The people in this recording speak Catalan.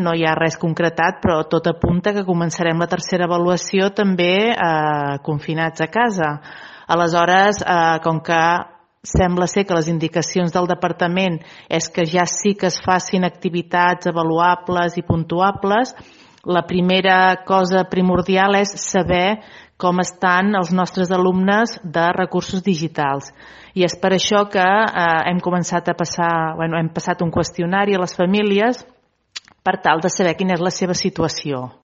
no hi ha res concretat, però tot apunta que començarem la tercera avaluació també confinats a casa. Aleshores, com que sembla ser que les indicacions del departament és que ja sí que es facin activitats avaluables i puntuables, la primera cosa primordial és saber com estan els nostres alumnes de recursos digitals. I és per això que hem passat un qüestionari a les famílies per tal de saber quina és la seva situació.